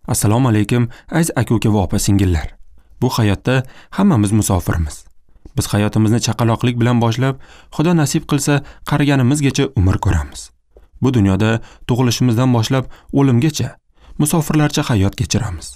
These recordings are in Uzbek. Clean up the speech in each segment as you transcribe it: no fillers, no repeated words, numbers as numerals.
Assalomu alaykum, aziz aka-uka va opa-singillar. Bu hayotda hammamiz musofirmiz. Biz hayotimizni chaqaloqlik bilan boshlab, Xudo nasib qilsa, qariganimizgacha umr ko'ramiz. Bu dunyoda tug'ilishimizdan boshlab o'limgacha musofirlarcha hayot kechiramiz.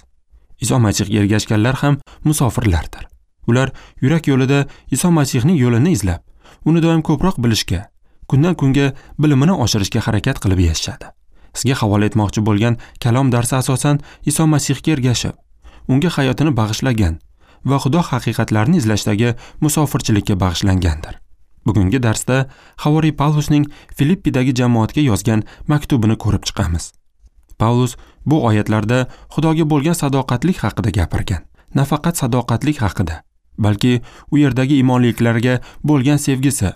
Iso Masihga ergashganlar ham musofirlardir. Ular yurak yo'lida Iso Masihning yo'lini izlab, uni doim ko'proq bilishga, kundan kunga bilimini oshirishga harakat qilib yashashadi. Sizga havola etmoqchi bo'lgan kalom darsi asosan Iso Masihga ergashib, unga hayotini bag'ishlagan va Xudo haqiqatlarini izlashdagi musofirchilikka bag'ishlangandir. Bugungi darsda Havoriy Pavlusning Filippidagi jamoatga yozgan maktubini ko'rib chiqamiz. Pavlus bu oyatlarda Xudoga bo'lgan sadoqatlik haqida gapirgan. Nafaqat sadoqatlik haqida, balki u yerdagi imonliklarga bo'lgan sevgisi,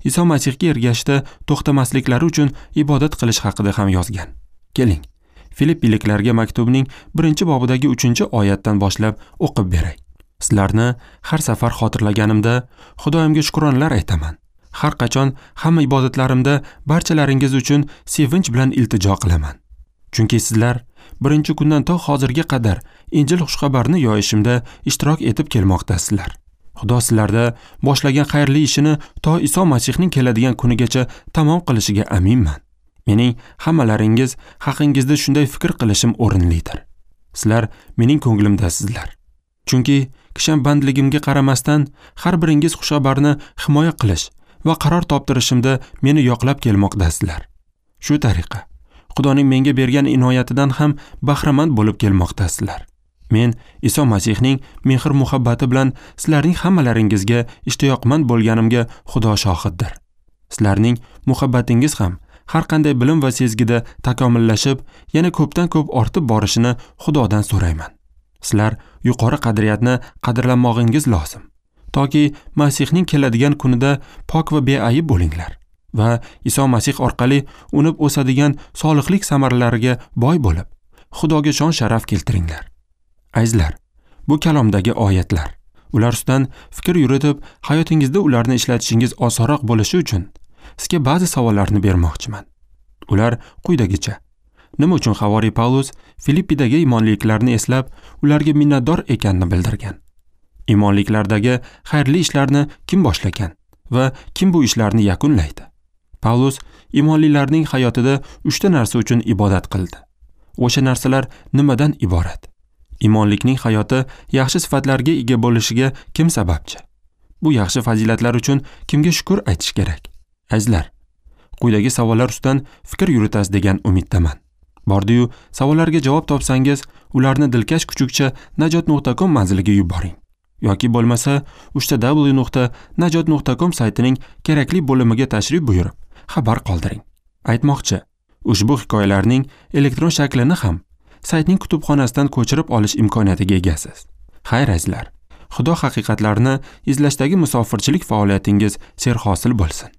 Iso Masihga ergashishda to'xtamasliklari uchun ibodat qilish haqida ham yozgan. Keling, Filippiliklarga maktubning 1-bobidagi 3-oyatdan boshlab o'qib beray. Sizlarni har safar xotirlaganimda Xudoyimga shukronlar aytaman. Har qachon hamma ibodatlarimda barchalaringiz uchun sevinch bilan iltijo qilaman. Chunki sizlar birinchi kundan to hozirga qadar Injil xushxabarini yoyishimda ishtirok etib kelmoqdasizlar. Xudo sizlarda boshlagan xayrli ishini to Iso Masihning keladigan kunigacha tamom qilishiga aminman. Mening hammalaringiz haqingizda shunday fikr qilishim o'rinlidir. Sizlar mening ko'nglimdasizlar. Chunki kishanbandligimga qaramasdan har biringiz xushxabarni himoya qilish va qaror toptirishimda meni yoqlab kelmoqdasizlar. Shu tariqa Xudoning menga bergan inoyatidan ham bahramand bo'lib kelmoqdasizlar. Men Iso Masihning mehr-muhabbati bilan sizlarning hammalaringizga ishtiyoqmand bo'lganimga Xudo shohiddir. Sizlarning muhabbatingiz ham har qanday bilim va sezgida takomillashib, yana ko'pdan-ko'p ortib borishini Xudodan so'rayman. Sizlar yuqori qadriyatni qadrlamog'ingiz lozim, toki Masihning keladigan kunida pok va beayb bo'linglar va Iso Masih orqali unib o'sadigan solihlik samaralariga boy bo'lib, Xudoga shon sharaf keltiringlar. Azizlar, bu kalomdagi oyatlar, ular ustidan fikr yuritib, hayotingizda ularni ishlatishingiz osonroq bo'lishi uchun sizga ba'zi savollarni bermoqchiman. Ular quyidagicha: nima uchun Havoriy Pavlus Filippidagi imonliklarni eslab, ularga minnatdor ekanini bildirgan? Imonliklardagi xayrli ishlarni kim boshlagan va kim bu ishlarni yakunlaydi? Pavlus imonlilarning hayotida 3 ta narsa uchun ibodat qildi. O'sha narsalar nimadan iborat? Imonlikning hayoti yaxshi sifatlarga ega bo'lishiga kim sababchi? Bu yaxshi fazilatlar uchun kimga shukr aytish kerak? Azizlar, quyidagi savollar ustidan fikr yuritasiz degan umiddaman. Bordi-yu, savollarga javob topsangiz, ularni dilkash kuchukcha najot.com manziliga yuboring. Yoki bo'lmasa www.najot.com saytining kerakli bo'limiga tashrif buyurib, xabar qoldiring. Aytmoqchi, ushbu hikoyalarning elektron shaklini ham saytning kutubxonasidan ko'chirib olish imkoniyatiga egasiz. Xayr azizlar, Xudo haqiqatlarini izlashdagi musofirchilik faoliyatingiz serhosil bo'lsin.